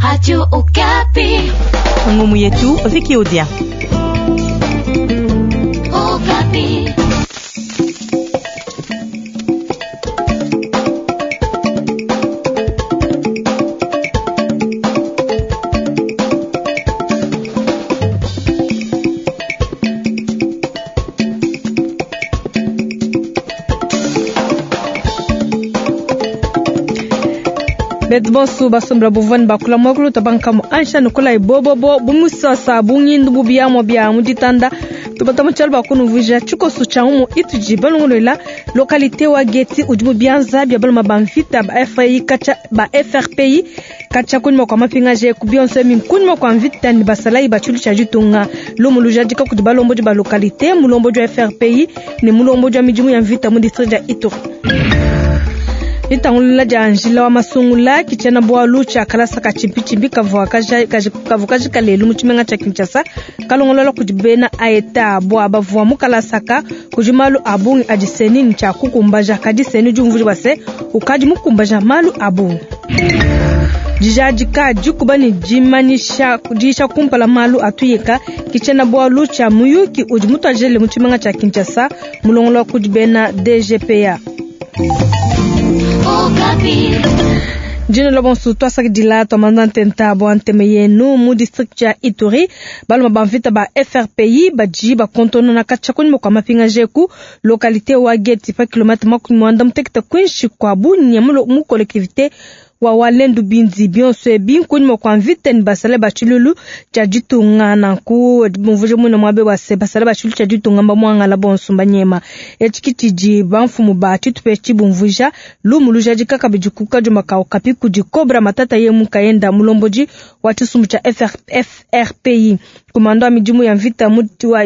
Radio Okapi. Ngumu yetu Vicky Odia. Okapi. Betu bonso basombela buvua ne bakula muakulu tabankamu ansha nukula bobobo bumusasa bunyindu bubiamua bia mu ditanda tubata mu tshialu bakunuvuija tshikoso tshia umu itudi balongolola localité wa Geti udi mu bianza bia baluma ba mvita ba FRI katshia ba FRPI katshia kunyima kua mapingaje ku bionso ebi nkunyima kua mvita ne basalayi ba tshilu tshia ditunga. Lumu lujadika kudi balombodi ba localité, mulombodi wa FRPI ne mulombodi wa midimu ya mvita mu district dia Ituri. Ditangulula dia njila wa masungula ke tshiena-bualu tshia kalasa ka tshimpitshimpi kavua kajika lelu mu tshimenga tshia Kinshasa, kalongolola kudi bena AETA. Bua bavua mu kalasa aka, kudi malu a bungi adi CENI ne tshia kukumbaja, kadi CENI udi umvuija bua se, ukadi mukumbaja malu a bungi. Dijadika dikuba ne dimanyisha diyisha kumpala malu a tuyeka ke tshiena-bualu tshia muyuki udi mutuadijile mu tshimenga tshia Kinshasa, mulongolola kudi bena DGPA. Dino la bonso twasakidila twamanda ntenta bua nteme yenu mu district ya Ituri. Baluma ba mvita ba FRPI badi bakontonona katshia kunyima kua mapingaje ku localité wa Geti pa kilomètre 61 kuinshi kua Bunia mu collectivité wa Walendu Bindi. Bionso ebi nkunyima kua mvita ne basale ba tshilulu tshia ditunga. Nanku bumvuje muine muabe wa se basale ba tshilulu tshia ditunga mbamuangala bonso mbanyema. Etshi ki tshidi bamfumu ba tshitupa etshi bumvuija. Lumu lujadika kabidi ku kadioma ka Okapi kudi Cobra Matata ye mukayenda mulombodi wa tshisumbu tshia FRPI. Kumando wa midimu ya mvita mu, wa,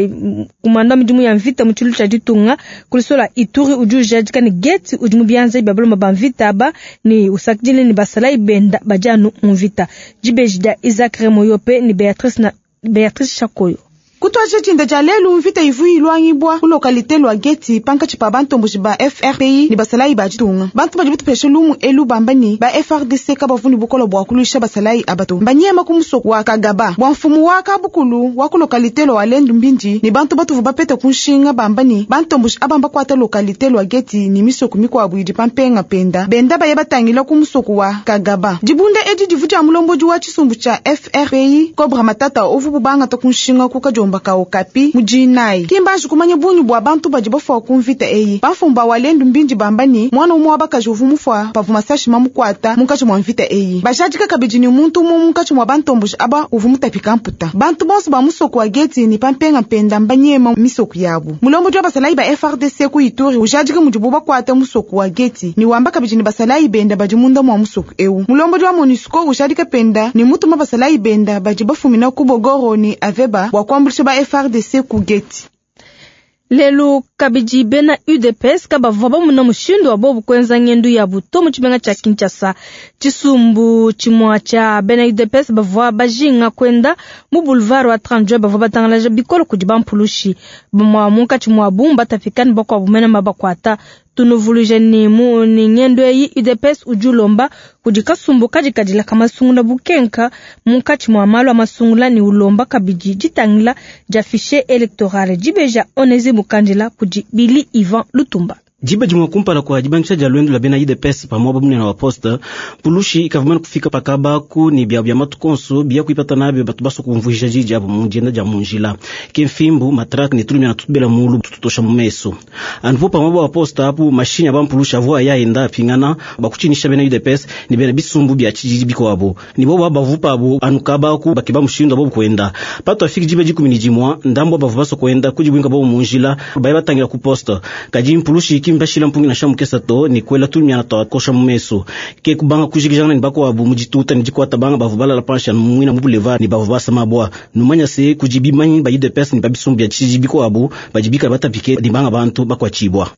kumando wa midimu ya mvita mu tshilu tshia ditunga kulisola Ituri udi ujadika ne Geti udi mu bianza bia baloma ba mvita aba ne usakidile ne basalayi benda badi anu mu mvita. Dibeji dia Isaac Remoyope ne Beatrice na Beatrice Chakoyo. Kutuadija dinda dia lelu, mvita ivua iluangibua ku lokalite lua Geti pankatshi pa bantomboji ba FRPI ne basalayi ba ditunga. Bantu badi batupesha lumu elu bamba ne, ba FARDC kabavua ne bukole bua kuluisha basalayi aba to. Mbanyema ku musoko wa Kagaba bua mfumu wa kabukulu wa ku lokalite lua Walendu Mbindi ne bantu batuvua bapete ku nshinga bamba ne, bantomboji aba mbakuata lokalite lua Geti ne misoko mikuabu idi pa mpenga penda benda baye batangila ku musoko wa Kagaba. Dibunda edi divua dia mulombodi wa tshisumbu tshia FRPI Cobra Matata uvua bubangata ku nshinga ku kadiomba ka Okapi mu dinayi. Ki mbanji kumanya bungi bua bantu badi bafua ku mvita eyi. Bamfumu ba Walendu Mbindi bamba ne, muana umue wa bakaji uvua mufua pavua masashi mamukuata munkatshi mua mvita eyi. Bajadika kabidi ne, muntu umue munkatshi mua bantomboji aba uvua mutapika mputa. Bantu bonso ba musoko wa Geti ne pa mpenga mpenda mbanyema misoko yabu. Mulombodi wa basalayi ba FARDC ku Ituri ujadika mudibu bakuata musoko wa Geti ne wamba kabidi ne basalayi benda badi munda mua musoko eu. Mulombodi wa MONUSCO ujadika penda ne mutuma basalayi benda badi bafumina ku Bogoro ne Aveba bua kuambuluisha ba FARDC ku Geti. Lelu kabidi bena UDPS kabavua bamuna mushindu wa bobu kuenza ngendu yabu to mu tshimenga tshia Kinshasa. Tshisumbu tshimua tshia bena UDPS bavua bajinga kuenda mu boulevard wa 30 juin bavua batangalaja bikole kudi bampulushi. Bamua munkatshi muabu mbatapika ne bakuabu mene mbabakuata. Tunuvuluije ne mu ne ngendu eyi UDPS udi ulomba kudi kasumbu kadikadila ka masungula bukenka munkatshi mua malu a masungula ne ulomba kabidi ditangila dia fichier electoral. Dibeja Onesi Mukandila kudi Billy Ivan Lutumba. Diba dimue kumpala kua dibangisha dia luendu lua bena UDPS pa muaba munene wa poste, mpulushi ikavua mane kufika pa kabaku ne biabu bia matuku onso biya kuipata nabi batu basua kumvuija diyi diabu mu dienda dia mu njila. Ke mfimbu, matrake ne tulumia tutubela mulu tututosha mu mesu. Anupo pa muaba wa poste apu, mashinyi a bampulushi avua aya enda apingana bakutshinyisha bena UDPS ne bena bisumbu bia tshididi bikuabu. Ne bobu aba bavua pabu anu kabaku bakeba mushindu wa bobu kuenda. Patuafiki diba 11, ndambu wa bavua basua kuenda kudibuinka bobu mu njila baya batangila ku poste. Kadi mpulushi ki mbashila mpungi nansha mukesa to ne kuela tulumia tua kosha mu mesu. Ke kubanga kujikijangana ne bakuabu mu dituta ne dikuata banga bavua balala panshi anu muina mu boulevard ne bavua basa mabua. Numanya se kudi bimanyi ba UDPS ne ba bisumbu bia tshididi bikuabu badi bikala batapike ne banga bantu bakuatshibua.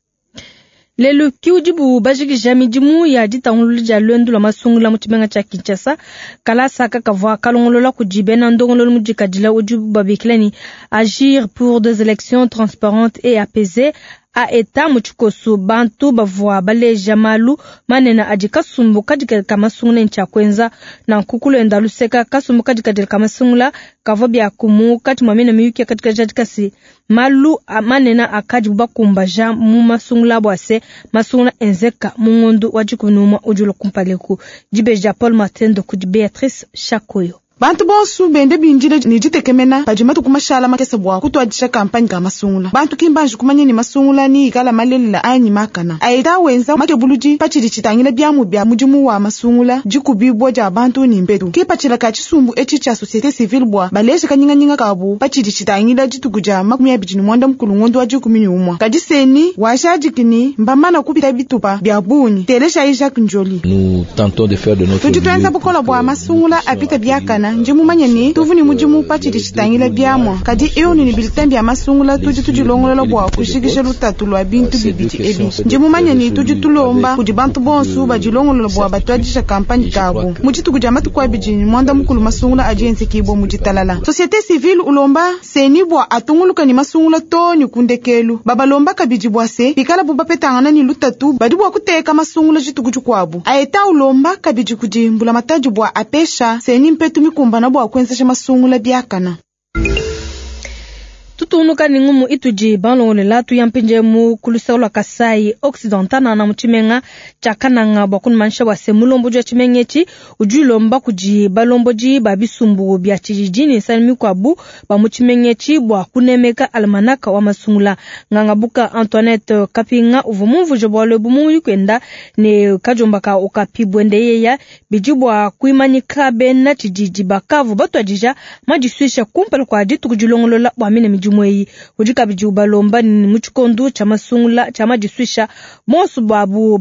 Lelu ki udibu bajikija midimu ya ditangulula dia luendu lua masungula mu tshimenga tshia Kinshasa. Kalasa aka kavua kalongolola kudi bena ndongololo mudikadila udi babikila ne Agir pour des élections transparentes et apaisées. AETA mu tshikosu. Bantu bavua baleja malu manene adi kasumbu kadikadile ka masungula ne tshia kuenza nanku. Ku luenda luseka, kasumbu kadikadile ka masungula kavua biaku munkatshi mua mine miyuki yakajadika se, malu manene akadibu bakumbaja mu masungula bua se, masungula enzeka mu ngondo wa 11 udi ulua kumpala eku. Dibeji dia Paul Matendo kudi Beatrice Shakoyo. Bantu bonso bende bindile ne ditekemena padi matuku mashala makese bua kutuadija kampanye ka masungula. Bantu ki mbanji kumanya ne masungula ni ikala malelela anyi makana. AETA wenza makebuludi patshidi tshitangila biamu bia mudimu wa masungula, dikubibua dia bantu ne mpetu. Kipatshila ka tshisumbu etshi tshia société civile bua baleje kanyinganyinga kabu patshidi tshitangila dituku dia 29 ngondo wa 11. Kadi CENI wajadiki ni mbamana kupita bitupa bia bungi. Telejayi Jacques Njoli. Nous tentons de faire de notre Tudi tuenza bukola bua masungula apita biakana. Ndi mumanye ni tuvu ni mudimu patshidi tshitangila biamua. Kadi urne ni bulletin bia masungula tudi tudilongolola bua kushikisha lutatu lua bintu bibidi ebi. Ndi mumanye ni tudi tulomba kudi bantu bonso badilongolola bua batuadija kampanye kabu mu dituku dia matuku 29 masungula adi enzekibua mu ditalala. Société civile ulomba CENI bua atunguluka ni masungula to ni kundekelu. Babalomba kabidi bua se bikala bu bapetangana ni lutatu badi bua kuteka masungula dituku dikuabu. AETA ulomba kabidi kudi mbulamatadi bua apesha CENI mpetu mikumbana bua kuenzesha masungula biakana. Tutunuka ni ngumu itudi balongolela tuyampinje mu kulusaka lua Kasai Occidental na mu tshimenga tshia Kananga bua kunumanisha bua se mulombodi wa tshimenga etshi udi ulomba kudi balombodi ba bisumbu bia tshididi ne nsani mikuabu ba mu tshimenga etshi bua kunemeka almanaka wa masungula. Ngangabuka Antoinette Kapinga uvua mumvuje bualu ebu mu muyuki ne kajomba ka Okapi buende yeya bidi bua kuimanyika bena tshididi bakavu batuadija madisuisha kumpala kua dituku dilongolola bua mine midimu eyi. Udi kabidi ubalomba ni mu tshikondo tshia masungula tshia madisuisha bonso babu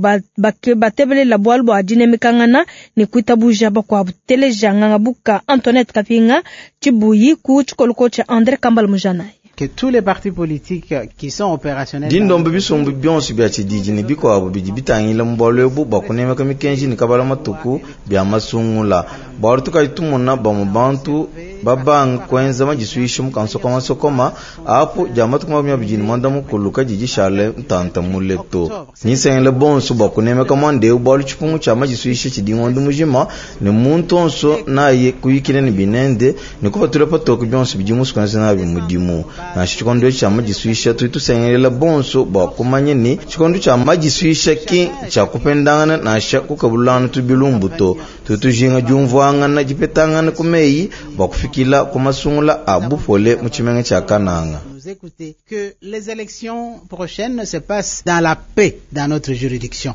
batebelela bualu bua dinemekangana ne kuitabuja bakuabu. Teleja Ngangabuka Antoinette Kapinga Tshibuyi ku tshikoloko tshia André Kambala Mujanayi. Que tous les partis politiques qui sont opérationnels Dindombe bisumbu bionso bia tshididi ne bikuabu bidi bitangila mu bualu ebu bua kunemeka mikenji ne kabala matuku bia masungula. Bualu tukadi tumona bamue bantu babanga kuenza madisuisha mu kansokomasokoma apo dia matuku 29 kadi dishale ntanta mule to. Nisengele bonso bua kunemeka muanda eu bualu tshipungu tshia madisuisha tshidi ngondo mujima ne muntu onso naye kuyikila ne binende ne kupatula patoke bionso bidi musukuenza nabi mudimu. Nansha tshikondo tshia madisuisha tudi tusengelela bonso bua kumanya ni tshikondo tshia madisuisha ki tshia kupendangana nansha kukabulana tubilumbu to. Tudi tujinga diumvuangana dipetangana ku meyi bua kufikila ku masungula a bupole mu tshimenga tshia Kananga. Nous écouter que les élections prochaines se passent dans la paix dans notre juridiction.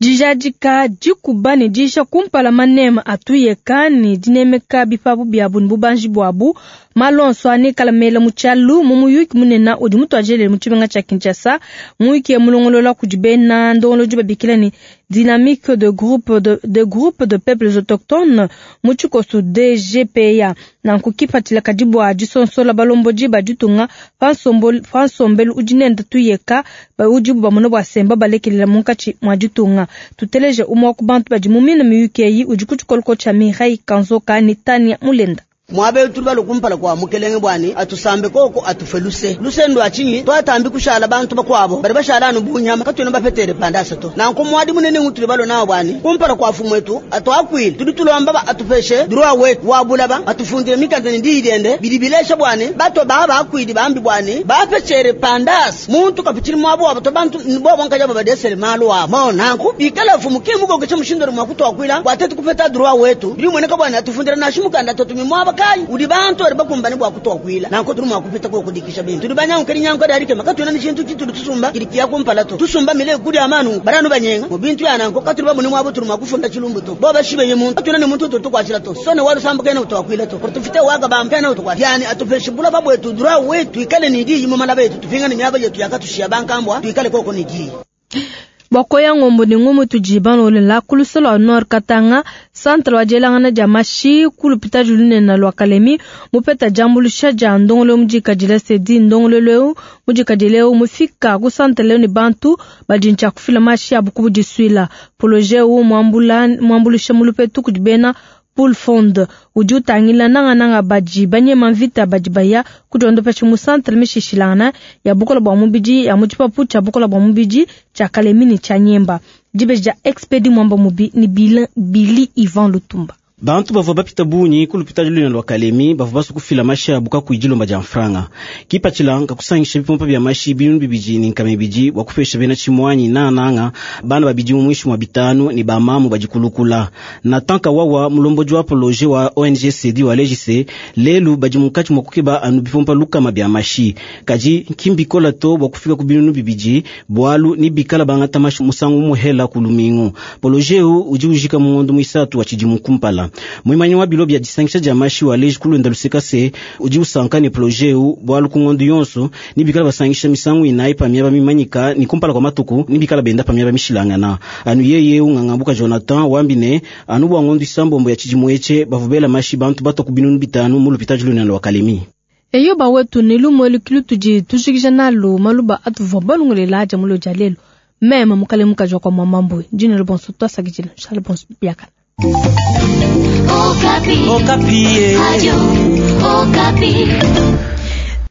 Dijadika dikuba ne disha kumpala manema atuyeka ne dinemeka bipapu biabu ne bubanji buabu. Malonso anekala mela mu tshialu mu muyuki munene udi mutuajelele mu tshimenga tshia Kinshasa. Muyuki ya mulongolola kudi bena ndongolodi babikila ne dynamique de groupe de groupe de peuples autochtones mu tshikoso DGPA. Nanku kipatshila kadi bua disonsola balombodi ba ditunga pa nsombelu udi nende tuyeka udibu bamona bua semba balekelela munkatshi mua ditunga. Tuteleje umue wa ku bantu badi mu mine miyuki eyi udi ku tshikoloko tshia Mireille Kanzoka ne Tania Mulenda. Mwabe tuli kumpala kwa mukelenge bwani atusambe koko atufe luse luse ndo achinyi twatambi kushala bantu bakwabo bali bashala anu bunyama katuna bafetere pandasa to nanko mwadi munene ngutuli balo nawo bwani kumpala kwa fumwetu atwakwile tudi tulomba ba atupeshe droit wetu wabulaba atufundire mikanda ndi idende bilibilesha bwani bato baba akwili bambi bwani bafetere pandasa muntu kapichiri mwabo abato bantu bobo nkaja babadesere malu wa mo nanko bikala fumuke mugo ke mushindo mwakutwakwila bwatetu kupeta droit wetu bili mweneka bwani atufundira nashimukanda totumi mwaba udi bantu bali bakumbane bwa kutwakwila nanko tuli mwakupita ko kudikisha bintu tuli banyanka linyanka dalike makatuna ni chintu chitu tusumba kilikiya kumpala to tusumba mile kuli amanu baranu banyenga mu bintu ya nanko katuli babuni mwabo tuli mwakufunda chilumbu to boba shibe muntu katuna ni muntu tukwachila to sone walu samba kena utwakwila to kutufite waga bamkena utwakwila yani atupeshibula babwetu dura wetu ikale ni di mu malaba yetu tufinga ni myaba yetu yakatushia bankambwa tuikale koko ni di Bakoya ngombo ni ngumu tujiban lolela kulusolo wa Nord Katanga centre wa jelangana ja mashi kulupita julune na lwa Kalemi mupeta jambulusha ja ndongolo mujika jila sedi ndongolo leo mujika jileo mufika ku centre leo ni bantu bajincha kufila mashi abukubu jiswila projet u mwambula mwambulusha mulupetu kujibena Pool Fund udi utangila nangananga badi banyema mvita badi baya kudiondopesha mu santre mishishilangana ya bukola bua mubidi ya mu tshipapu tshia bukola bua mubidi tshia Kalemi ne tshia Nyemba. Dibeji dia Expedi Mwamba Mubi ne Billy Ivan Lutumba. Bantu bavua bapita bungi ku lupitadi lunene lua Kalemi bavua basue kufila mashi abu kakuyi dilomba dia mfranga. Kipatshila nkakusangisha bipompa bia mashi 2200 bua kupesha bena tshimuanyi nananga bana ba bidimu muinshi mua 5 ne bamamu badi kulukula. Nathan Kawawa mulombodi wa projet wa ONG CD wa Legise lelu badi munkatshi mua kukeba anu bipompa 100 bia mashi. Kadi kimbikola to bua kufika ku 2000 bualu ni bikala bangata mashi musangu muhela ku lumingu. Projet udi ujika mu ngondo muisatu wa tshidimu kumpala. Muimanyi wa bilo bia disangisha dia mashi wa leji kulunda luseka se udi usanka ne projet eu bualu ku ngondo yonso ni bikala basangisha misangu inayi pa miaba mimanyika ni kumpala kwa matuku ni bikala benda pa miaba mishilangana. Anu yeye ungangambuka Jonathan wambi ne anu bua ngondo isambombo ya tshidimu etshe bavubela mashi bantu batwa ku 5000 mu lupitadi lunene lua Kalemi. Eyo bawetu ne lumu elu kilu tudi tujikija nalu maluba atuvua balongolela dia mulo dia lelu. Meme mukale mukaji wa kwa mamambwe ndine lubonso twasakidila nshale bonso biakana. Okapi. Okapi. Radio.